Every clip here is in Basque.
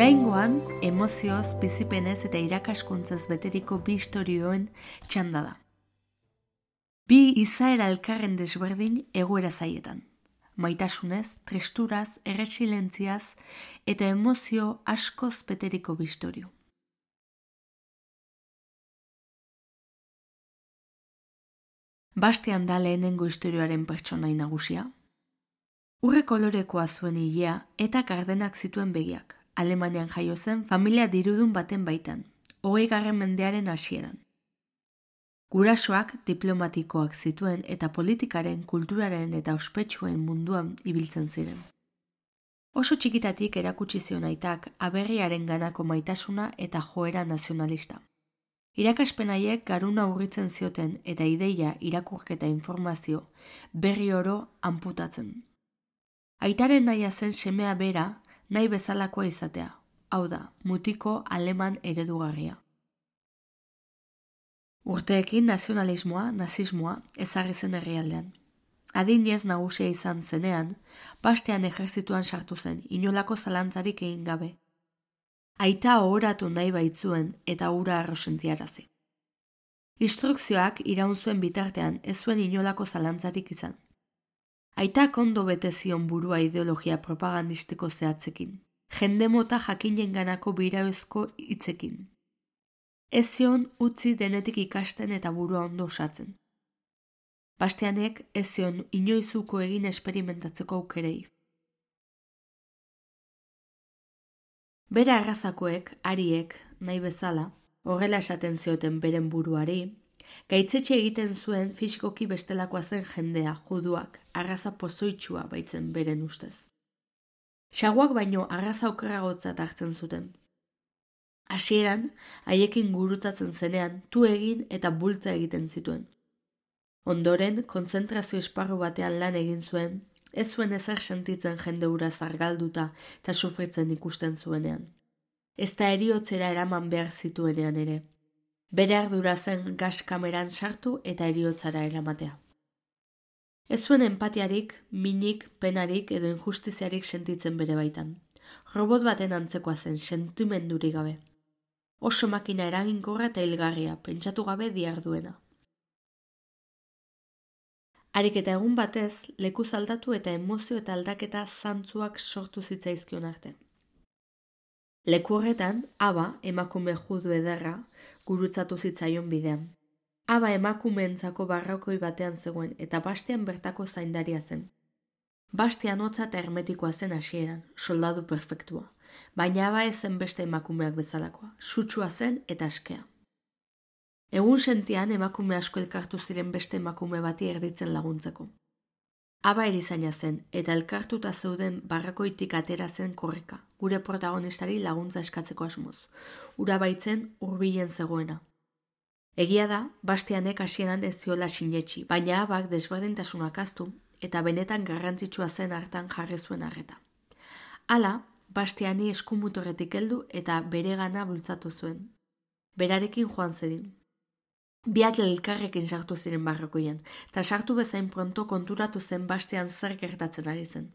Oraingoan, emozioz, bizipenez eta irakaskuntzaz beteriko bi istorioen txanda da. Bi izaera elkarren desberdin egoera zaietan. Maitasunez, tristuraz, erresilentziaz eta emozio askoz beteriko bi istorio. Bastian da lehenengo istorioaren pertsonai nagusia. Urre kolorekoa zuen ilea eta gardenak zituen begiak. Alemanian jaio zen familia dirudun baten baitan, 20. mendearen hasieran. Gurasoak diplomatikoak zituen eta politikaren, kulturaren eta ospetsuen munduan ibiltzen ziren. Oso txikitatik erakutsi zion aitak aberriaren ganako maitasuna eta joera nazionalista. Irakaspen haiek garuna urritzen zioten eta ideia, irakurketa informazio berri oro anputatzen. Aitaren nahia zen semea bera nahi bezalakoa izatea, hau da, mutiko aleman eredugarria. Urteekin nazionalismoa, nazismoa ezarri zen herrialdean. Adinez nagusia izan zenean, Bastian ejerzituan sartu zen, inolako zalantzarik egin gabe. Aita ohoratu nahi baitzuen eta hura arrosentiarazi. Instrukzioak iraun zuen bitartean ez zuen inolako zalantzarik izan. Aitak ondo bete zion burua ideologia propagandistiko zehatzekin, jende mota jakinenganako birauzko hitzekin. Ez zion utzi denetik ikasten eta burua ondo osatzen. Bastianek ez zion inoizuko egin esperimentatzeko aukerei. Bere arrazakoek, ariek, nahi bezala, horrela esaten zioten beren buruari, gaitzetxe egiten zuen fisikoki bestelakoa zen jendea, juduak, arraza pozoitsua baitzen beren ustez. Xaguak baino arraza okerragotzat hartzen zuten. Hasieran, haiekin gurutzatzen zenean, tu egin eta bultza egiten zituen. Ondoren, kontzentrazio esparru batean lan egin zuen, ez zuen ezer sentitzen jende hura zargalduta eta sufritzen ikusten zuenean. Ez da heriotzera eraman behar zituenean ere. Bere ardura zen gas kameran sartu eta heriotzara eramatea. Ez zuen empatiarik, minik, penarik edo injustiziarik sentitzen bere baitan. Robot baten antzekoa zen, sentimendurik gabe. Oso makina eraginkorra eta hilgarria, pentsatu gabe diarduena. Harik eta egun batez, lekuz aldatu eta emozio eta aldaketa zantzuak sortu zitzaizkion arte. Leku horretan, Aba, emakume judu ederra, gurutzatu zitzaion bidean. Aba emakumeentzako barrokoi batean zegoen eta Bastian bertako zaindaria zen. Bastian hotza eta hermetikoa zen hasieran, soldadu perfektua, baina Aba ez zen beste emakumeak bezalakoa, sutsua zen eta askea. Egun sentian emakume asko elkartu ziren beste emakume bati erditzen laguntzeko. Aba erizaina zen eta elkartuta zeuden barrakoitik atera zen korrika, gure protagonistari laguntza eskatzeko asmoz. Ura baitzen hurbilen zegoena. Egia da, Bastianek hasieran ez ziola sinetsi, baina Abak desberdintasunak ahaztu eta benetan garrantzitsua zen hartan jarri zuen arreta. Hala, Bastiani eskumutorretik heldu eta beregana bultzatu zuen. Berarekin joan zedin. Biak elkarrekin sartu ziren barrakoian, eta sartu bezain pronto konturatu zen Bastian zer gertatzen ari zen.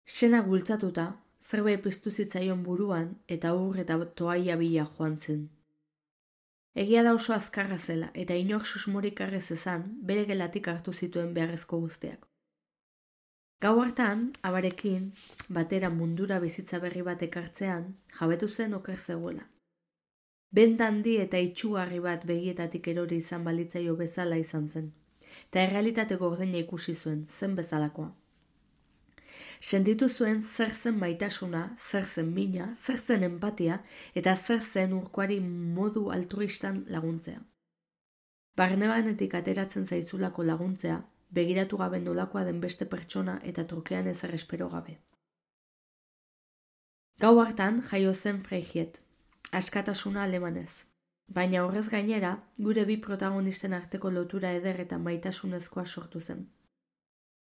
Senak bultzatuta, zerbait piztu zitzaion buruan eta ur eta toaia bila joan zen. Egia da oso azkarra zela eta inor susmorik arrez ezan bere gelatik hartu zituen beharrezko guztiak. Gau hartan, Abarekin, batera mundura bizitza berri bat ekartzean, jabetu zen oker zegoela. Bent handi eta itsugarri bat begietatik erori izan balitzaio bezala izan zen, eta errealitate gordina ikusi zuen, zen bezalakoa. Sentitu zuen zer zen maitasuna, zer zen mina, zer zen empatia eta zer zen urkoari modu altruistan laguntzea. Barnebanetik ateratzen zaizulako laguntzea, begiratu gabe nolakoa den beste pertsona eta trukean ezer espero gabe. Gau hartan jaio zen Freiheit, askatasuna alemanez. Baina horrez gainera, gure bi protagonisten arteko lotura eder eta maitasunezkoa sortu zen.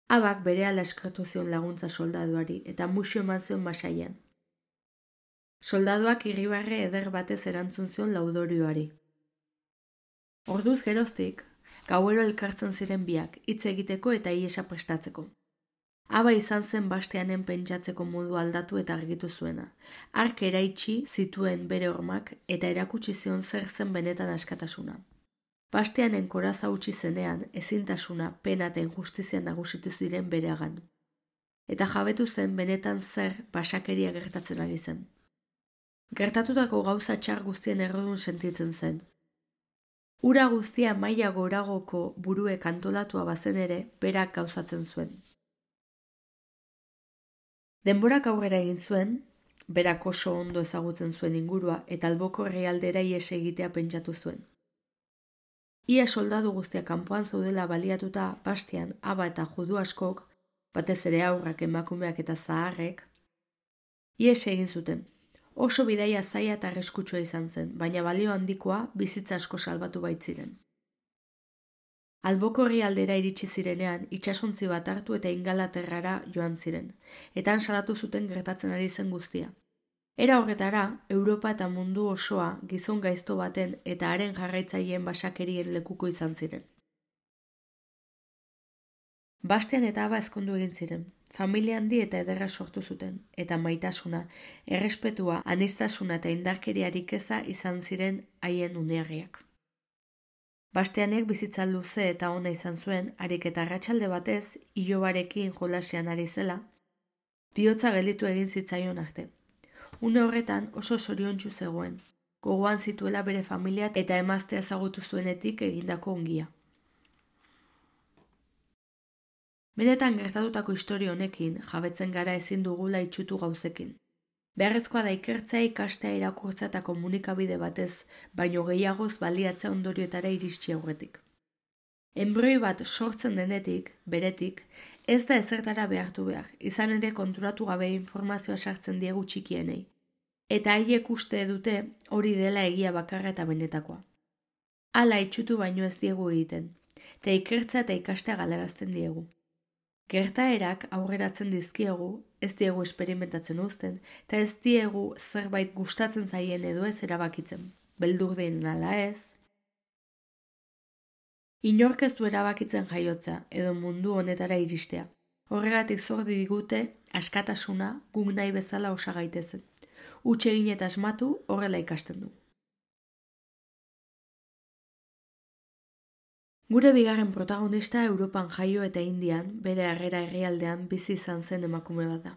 Abak berehala eskertu zion laguntza soldaduari eta muxu eman zion masaian. Soldaduak irribarre eder batez erantzun zion laudorioari. Orduz geroztik, gauero elkartzen ziren biak, hitz egiteko eta ihesa prestatzeko. Aba izan zen Bastianen pentsatzeko modu aldatu eta argitu zuena. Hark eraitsi zituen bere hormak eta erakutsi zion zer zen benetan askatasuna. Bastianen koraza utzi zenean, ezintasuna, pena eta injustizia nagusitu ziren bereagan. Eta jabetu zen benetan zer basakeria gertatzen ari zen. Gertatutako gauza txar guztien errodun sentitzen zen. Ura guztia maila goragoko buruek antolatua bazen ere, berak gauzatzen zuen. Denborak aurrera egin zuen, berak oso ondo ezagutzen zuen ingurua eta alboko herrialdera ihes egitea pentsatu zuen. Ia soldadu guztiak kanpoan zaudela baliatuta Bastian, aba eta judu askok, batez ere aurrak, emakumeak eta zaharrek, ihes egin zuten. Oso bidaia zaila eta arriskutsua izan zen, baina balio handikoa bizitza asko salbatu baitziren. Alboko herrialdera iritsi zirenean, itsasontzi bat hartu eta Ingalaterrara joan ziren, eta han salatu zuten gertatzen ari zen guztia. Era horretara, Europa eta mundu osoa gizon gaizto baten eta haren jarraitzaileen basakerien lekuko izan ziren. Bastian eta aba ezkondu egin ziren, familia handi eta ederra sortu zuten, eta maitasuna, errespetua, aniztasuna eta indarkeriarik eza izan ziren haien unearriak. Bastianek bizitza luze eta ona izan zuen, harik eta arratsalde batez, ilobarekin jolasean ari zela, bihotza gelditu egin zitzaion arte. Une horretan oso zoriontsu zegoen, gogoan zituela bere familia eta emaztea ezagutu zuenetik egindako ongia. Benetan gertatutako historia honekin jabetzen gara ezin dugula itsutu gauzekin. Beharrezkoa da ikertzea, ikastea, irakurtzea eta komunikabide batez, baino gehiagoz baliatzea ondorioetara iritsi aurretik. Enbrioi bat sortzen denetik, beretik, ez da ezertara behartu behar, izan ere konturatu gabe informazioa sartzen diegu txikienei. Eta haiek uste dute hori dela egia bakarra eta benetakoa. Hala itsutu baino ez diegu egiten, eta ikertzea eta ikastea galarazten diegu. Gertaerak aurreratzen dizkiegu, ez diegu esperimentatzen uzten, eta ez diegu zerbait gustatzen zaien edo ez erabakitzen, beldur den ala ez. Inork ez du erabakitzen jaiotzea edo mundu honetara iristea. Horregatik zor digute askatasuna guk nahi bezala osa gaitezen. Huts egin eta asmatu horrela ikasten du. Gure bigarren protagonista Europan jaio eta Indian, bere harrera herrialdean bizi izan zen emakume bat da.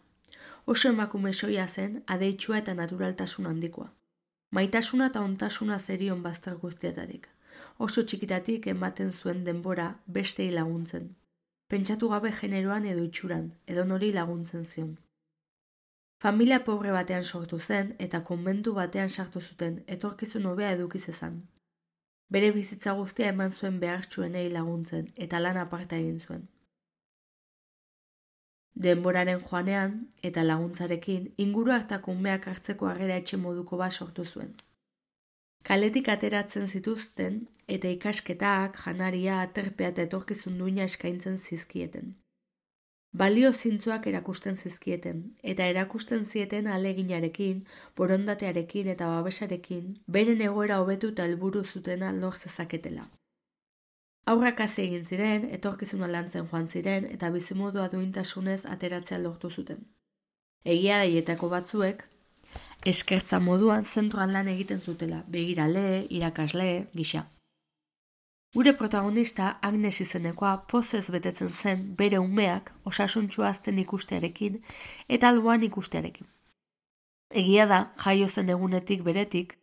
Oso emakume soila zen, adeitsua eta naturaltasun handikoa. Maitasuna eta ontasuna zerion bazter guztietatik. Oso txikitatik ematen zuen denbora bestei laguntzen. Pentsatu gabe generoan edo itxuran, edo nori laguntzen zion. Familia pobre batean sortu zen eta konbentu batean sartu zuten, etorkizun hobea eduki zezan. Bere bizitza guztia eman zuen behartsuenei laguntzen eta lan aparta egin zuen. Denboraren joanean eta laguntzarekin inguruak eta kumeak hartzeko harrera etxe moduko bat sortu zuen. Kaletik ateratzen zituzten eta ikasketak, janaria, aterpea eta etorkizun duina eskaintzen zizkieten. Balio zintzoak erakusten zizkieten, eta erakusten zieten ahaleginarekin, borondatearekin eta babesarekin, beren egoera hobetu eta helburu zutena lor zezaketela. Haurrak hazi egin ziren, etorkizuna lantzen joan ziren eta bizimodua duintasunez ateratzea lortu zuten. Egia daietako batzuek, eskertza moduan zentroan lan egiten zutela, begirale, irakasle, gisa. Gure protagonista Agnes izenekoa pozez betetzen zen bere umeak osasuntsua azten ikustearekin eta alboan ikustearekin. Egia da, jaio zen egunetik beretik,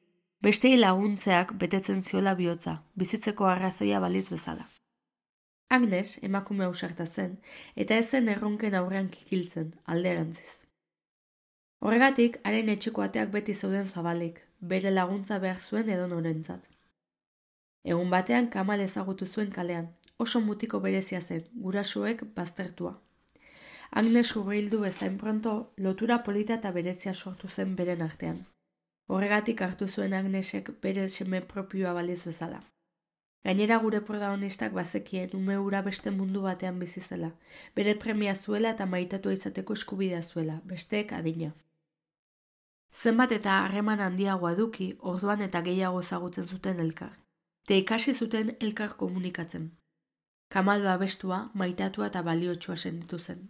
bestei laguntzeak betetzen ziola bihotza, bizitzeko arrazoia baliz bezala. Agnes emakume ausarta zen eta ez zen erronken aurrean kikiltzen, alderantziz. Horregatik, haren etxeko ateak beti zeuden zabalik, bere laguntza behar zuen edo norentzat. Egun batean Kamal ezagutu zuen kalean, oso mutiko berezia zen, gurasoek baztertua. Agnes hurbildu bezain pronto, lotura polita eta berezia sortu zen beren artean. Horregatik hartu zuen Agnesek bere seme propioa baliz bezala. Gainera gure protagonistak bazekien ume hura beste mundu batean bizi zela, bere premia zuela eta maitatua izateko eskubidea zuela, besteek adina. Zenbat eta harreman handiagoa eduki, orduan eta gehiago ezagutzen zuten elkar. Te ikasi zuten elkar komunikatzen. Kamal babestua, maitatua eta baliotsua sentitu zen.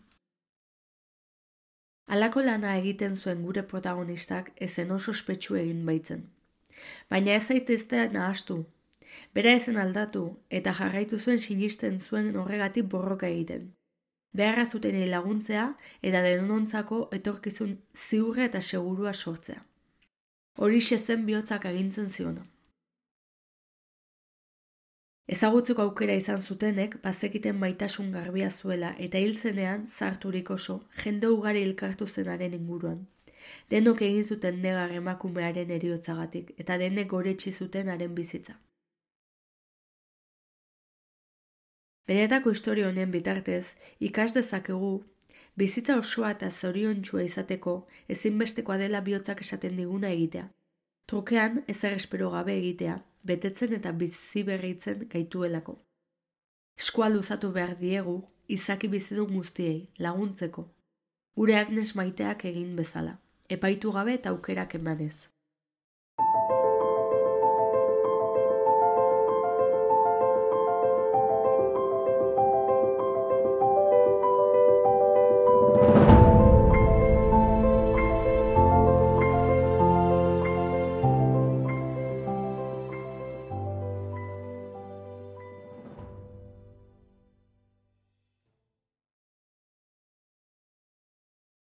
Halako lana egiten zuen gure protagonistak ezen oso ospetsu egin baitzen. Baina ez zaitezte nahastu. Bera ezen aldatu eta jarraitu zuen sinisten zuen horregatik borroka egiten. Beharra zutenei laguntzea eta denontzako etorkizun ziurra eta segurua sortzea. Horixe zen bihotzak agintzen ziona. Ezagutzeko aukera izan zutenek bazekiten maitasun garbia zuela eta hil zenean zarturik oso jende ugari elkartu zenaren inguruan. Denok egin zuten negar emakumearen heriotzagatik eta denek goretsi zuten haren bizitza. Benetako historia honen bitartez, ikas dezakegu, bizitza osoa eta zoriontsua izateko ezinbestekoa dela bihotzak esaten diguna egitea. Trukean ezer espero gabe egitea, betetzen eta biziberritzen gaituelako. Eskua luzatu behar diegu, izaki bizidun guztiei, laguntzeko. Gure Agnes maiteak egin bezala, epaitu gabe eta aukerak emanez.